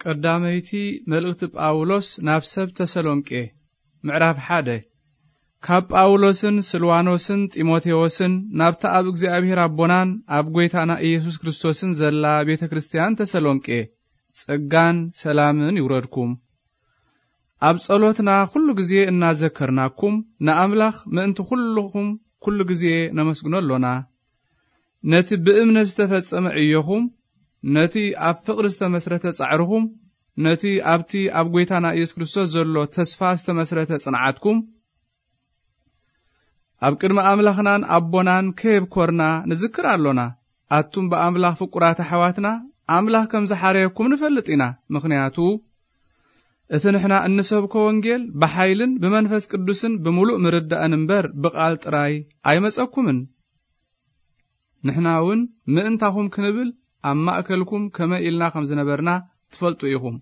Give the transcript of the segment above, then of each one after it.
ቀዳመይቲ መልእኽቲ ጳውሎስ ናብ ሰብ ተሰሎንቄ፣ ምዕራፍ ሓደ። ካብ ጳውሎስን ስልዋኖስን ጢሞቴዎስን ናብታ ኣብ እግዚኣብሔር ኣቦናን ኣብ ጐይታና ኢየሱስ ክርስቶስን ዘላ ቤተ ክርስቲያን ተሰሎንቄ፣ ጸጋን ሰላምን ይውረድኩም። ኣብ ጸሎትና ኩሉ ግዜ እናዘከርናኩም ንኣምላኽ ምእንቲ ኩልኹም ኩሉ ግዜ ነመስግኖ ኣሎና። ነቲ ብእምነት ዝተፈጸመ ዕዮኹም፣ ነቲ ኣብ ፍቕሪ ዝተመስረተ ጻዕርኹም፣ ነቲ ኣብቲ ኣብ ጐይታና ኢየሱስ ክርስቶስ ዘሎ ተስፋ ዝተመስረተ ጽንዓትኩም፣ ኣብ ቅድሚ ኣምላኽናን ኣቦናን ከየብኮርና ንዝክር ኣሎና። ኣቱም ብኣምላኽ ፍቁራት ኣሕዋትና፣ ኣምላኽ ከም ዝሓረየኩም ንፈልጥ ኢና። ምኽንያቱ፣ እቲ ንሕና እንሰብኮ ወንጌል ብሓይልን ብመንፈስ ቅዱስን ብምሉእ ምርዳእን እምበር ብቓል ጥራይ ኣይመጸኩምን። ንሕና እውን ምእንታኹም ክንብል ኣብ ማእከልኩም ከመይ ኢልና ከም ዝነበርና ትፈልጡ ኢኹም።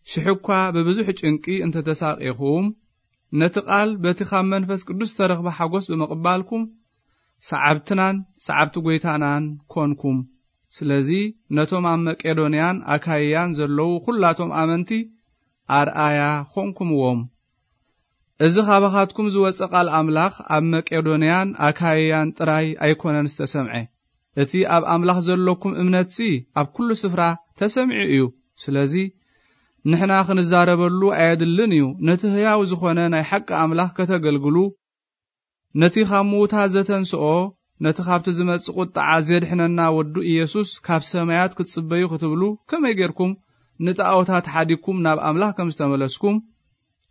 ሽሕ እኳ ብብዙሕ ጭንቂ እንተተሳቒኹም፣ ነቲ ቃል በቲ ካብ መንፈስ ቅዱስ ዝተረኽበ ሓጎስ ብምቕባልኩም፣ ሰዓብትናን ሰዓብቲ ጐይታናን ኮንኩም። ስለዚ ነቶም ኣብ መቄዶንያን ኣካይያን ዘለዉ ኹላቶም ኣመንቲ ኣርኣያ ኾንኩምዎም። እዚ ኻባኻትኩም ዝወጸ ቃል ኣምላኽ ኣብ መቄዶንያን ኣካይያን ጥራይ ኣይኮነን ዝተሰምዐ። እቲ ኣብ ኣምላኽ ዘለኩም እምነትሲ ኣብ ኩሉ ስፍራ ተሰሚዑ እዩ። ስለዚ ንሕና ክንዛረበሉ ኣየድልን እዩ። ነቲ ህያው ዝኾነ ናይ ሓቂ ኣምላኽ ከተገልግሉ፣ ነቲ ካብ ምዉታት ዘተንስኦ፣ ነቲ ካብቲ ዝመጽእ ቁጥዓ ዜድሕነና ወዱ ኢየሱስ ካብ ሰማያት ክትጽበዩ ክትብሉ፣ ከመይ ጌርኩም ንጣኦታት ሓዲግኩም ናብ ኣምላኽ ከም ዝተመለስኩም፣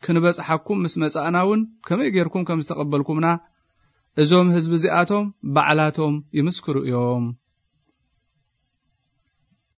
ክንበጽሓኩም ምስ መጻእና እውን ከመይ ጌርኩም ከም ዝተቐበልኩምና፣ እዞም ህዝቢ እዚኣቶም ባዕላቶም ይምስክሩ እዮም።